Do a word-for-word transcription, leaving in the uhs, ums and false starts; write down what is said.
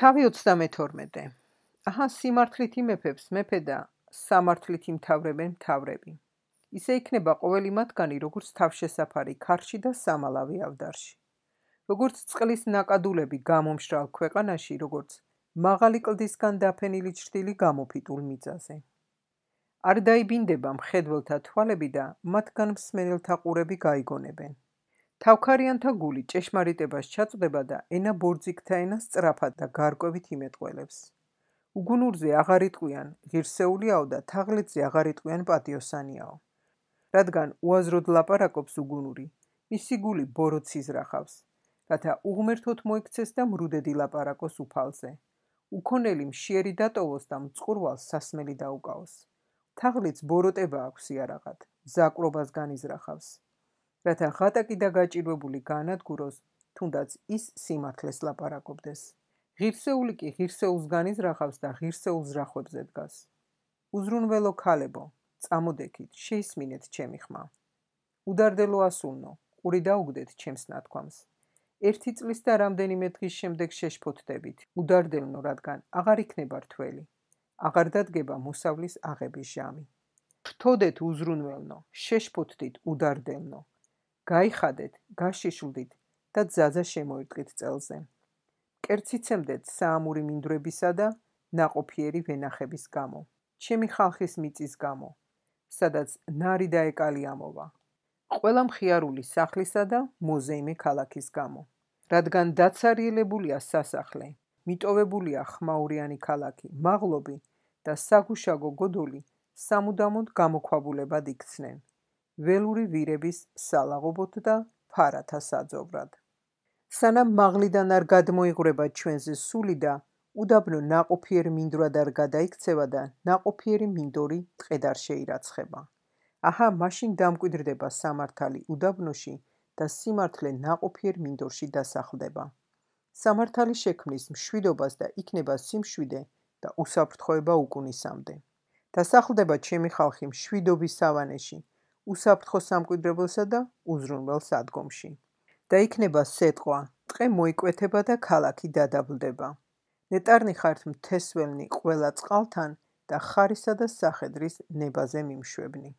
თავი ოცდამეთორმეტე. აჰა, სიმართლით იმეფებს მეფე და სამართლით იმთავრებენ მთავრები. ისე იქნება ყოველი მათგანი, როგორც თავშესაფარი ქარში და სამალავი ავდარში. როგორც წყლის ნაკადულები გამომშრალ ქვეყანაში, როგორც მაღალი კლდისგან დაფენილი ჩრდილი გამოფიტულ მიწაზე. არ დაიბინდება მხედველთა თვალები და მათგან მსმენელთა ყურები გაიგონებენ. თავქარიანთა გული ჭეშმარიტებას ჩაწვდება და ენა ბორძიქთა ენას სწრაფად და გარკვევით იმეტყველებს. უგუნურზე აღარ იტყვიან ღირსეულიაო და თაღლეთზე აღარ იტყვიან პატიოსანიაო. რადგან უაზროდ ლაპარაკობს უგუნური, მისი გული ბოროტს იზრახავს, რათა უღმერთოდ მოექცეს და მრუდედი ლაპარაკოს უფალზე. უქონელი მშიერი დატოვოს და მწყურვალს სასმელი დაუკავოს. თაღლიც ბოროტება აქვს იარაღად, ზაკვრობას განიზრახავს. რათა ღატაკი და გაჭირვებული გაანადგუროს, თუნდაც ის სიმართლეს ლაპარაკობდეს. ღირსეული კი ღირსეულს განიზრახავს და ღირსეულ ზრახვებზე დგას. უზრუნველო ქალებო, წამოდექით, შეისმინეთ ჩემი ხმა. უდარდელო ასულნო, ყური დაუგდეთ ჩემს ნათქვამს. ერთი წლის და რამდენიმე დღის შემდეგ შეშფოთდებით, უდარდელნო, რადგან აღარ იქნება რთველი. აღარ დადგება მოსავლის აღების ჟამი. ფრთოდეთ უზრუნველნო, შეშფოთდით უდარდელნო. გაიხადეთ, გაშიშვლდით და ძაძა შემოერტყით წელზე. კერციცემდეთ საამური მინდვრებისა და ნაყოფიერი ვენახების გამო. ჩემი ხალხის მიწის გამო, სადაც ნარი და ეკალი ამოვა. ყველა მხიარული სახლისა და მოზეიმე ქალაქის გამო. რადგან დაცარიელებულია სასახლე, მიტოვებულია ხმაურიანი ქალაქი, მაღლობი და საგუშაგო გოდოლი სამუდამოდ გამოქვაბულებად იქცნენ. ველური ვირების სალაღობოთ და ფარათა საძოვრად. სანამ მაღლიდან არ გადმოიღვრება ჩვენზე სული და უდაბნო ნაყოფიერ მინდვრად არ გადაიქცევა და ნაყოფიერი მინდორი ტყედ არ შეირაცხება. აჰა, მაშინ დამკვიდრდება სამართალი უდაბნოში და სიმართლე ნაყოფიერ მინდორში დასახლდება. სამართალი შექმნის მშვიდობას და იქნება სიმშვიდე და უსაფრთხოება უკუნისამდე. დასახლდება ჩემი ხალხი მშვიდობის სავანეში, უსაფრთხო სამკვიდრებელსა და უზრუნველ სადგომში. და იქნება სეტყვა, ტყე მოიკვეთება და ქალაქი დადაბლდება. ნეტარნი ხართ მთესველნი ყველა წყალთან და ხარისა და სახედრის ნებაზე მიმშვებნი.